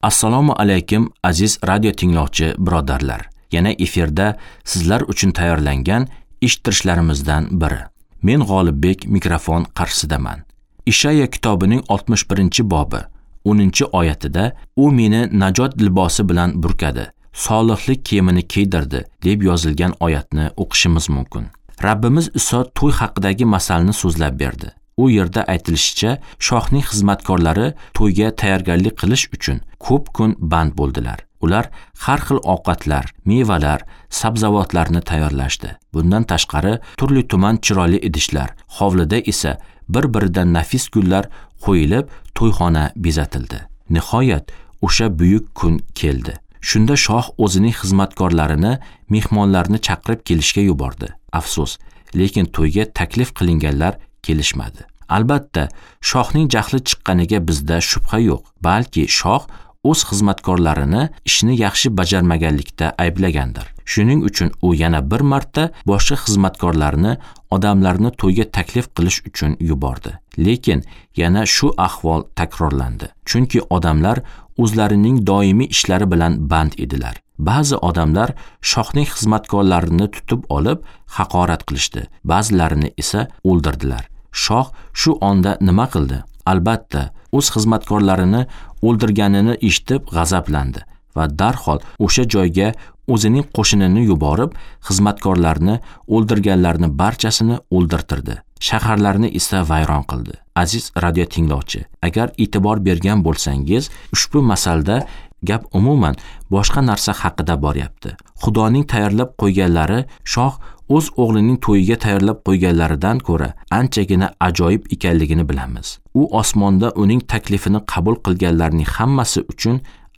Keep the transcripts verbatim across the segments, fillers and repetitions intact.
Assalomu alaykum aziz radio tinglovchi birodarlar. Yana efirda sizlar uchun tayyorlangan eshittirishlarimizdan biri. Men G'olibbek mikrofon qarshisidaman. Ishaya kitobining oltmish birinchi bobi o'ninchi oyatida u meni najot libosi bilan burkadi, solihlik kiyimini kiydirdi deb yozilgan oyatni o'qishimiz mumkin. Rabbimiz Iso to'y haqidagi masalni so'zlab berdi. U yerda aytilishicha, shohning xizmatkorlari to'yga tayyorgarlik qilish uchun ko'p kun band bo'ldilar. Ular har xil ovqatlar, mevalar, sabzavotlarni tayyorlashdi. Bundan tashqari turli tuman chiroyli idishlar, hovlida esa bir-biridan nafis gullar qo'yilib, to'yxona bezatildi. Nihoyat o'sha buyuk kun keldi. Shunda shoh o'zining xizmatkorlarini mehmonlarni chaqirib kelishga yubordi. Afsus, lekin to'yga taklif qilinganlar kelishmadi. Albatta, shohning jahli chiqqaniga bizda shubha yo'q, balki shoh o'z xizmatkorlarini ishni yaxshi bajarmaganlikda ayblagandir. Shuning uchun u yana bir marta boshqa xizmatkorlarni odamlarni to'yga taklif qilish uchun yubordi. Lekin yana shu ahvol takrorlandi. Chunki odamlar o'zlarining doimiy ishlari bilan band edilar. Ba'zi odamlar shohning xizmatkorlarini tutib olib haqorat qilishdi, ba'zilarini esa o'ldirdilar. Shoh shu onda nima qildi? Albatta, o'z xizmatkorlarini o'ldirganini eshitib g'azablandi va darhol o'sha joyga o'zining qo'shinini yuborib, xizmatkorlarni o'ldirganlarni barchasini o'ldirtirdi. Shaharlarni esa vayron qildi. Aziz radio tinglovchi, agar e'tibor bergan bo'lsangiz, ushbu masalda gap umuman boshqa narsa haqida boryapti. Xudoning tayyorlab qo'yganlari shoh o'z o'g'lining to'yiga tayyorlab qo'yganlaridan ko'ra anchagina ajoyib ekanligini bilamiz. U osmonda uning taklifini qabul qilganlarning hammasi uchun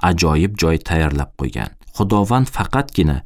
ajoyib joy tayyorlab qo'ygan. Xudovand faqatgina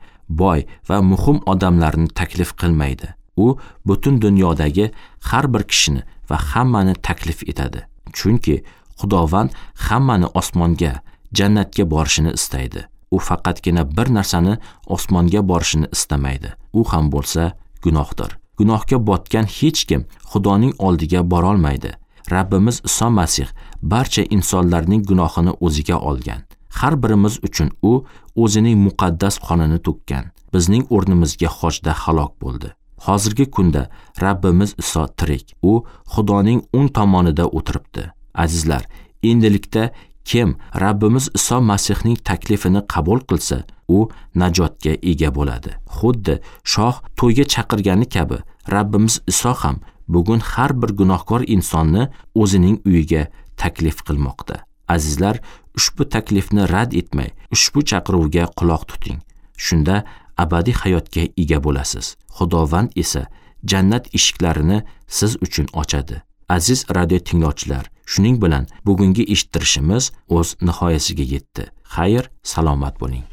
boy va muhim odamlarni taklif qilmaydi. U butun dunyodagi har bir kishini va hammani taklif etadi. Chunki Xudovand hammani osmonga, jannatga borishini istaydi. U faqatgina bir narsani osmonga borishini istamaydi. U ham bo'lsa gunohdir. Gunohga botgan hech kim Xudoning oldiga bora olmaydi. Rabbimiz Iso Masih barcha insonlarning gunohini o'ziga olgan. Har birimiz uchun u o'zining muqaddas qonini to'kkan. Bizning o'rnimizga xochda halok bo'ldi. Hozirgi kunda Rabbimiz Iso tirik. U Xudoning o'ng tomonida o'tiribdi. Azizlar, endilikda kim Rabbimiz Iso Masihning taklifini qabul qilsa, u najotga ega bo'ladi. Xuddi shoh to'yga chaqirgani kabi, Rabbimiz Iso ham bugun har bir gunohkor insonni o'zining uyiga taklif qilmoqda. Azizlar, ushbu taklifni rad etmay, ushbu chaqiruvga quloq tuting. Shunda abadiy hayotga ega bo'lasiz. Xudovand esa jannat eshiklarini siz uchun ochadi. Aziz radio tinglovchilar, shuning bilan bugungi eshittirishimiz o'z nihoyasiga yetdi. Xayr, salomat bo'ling.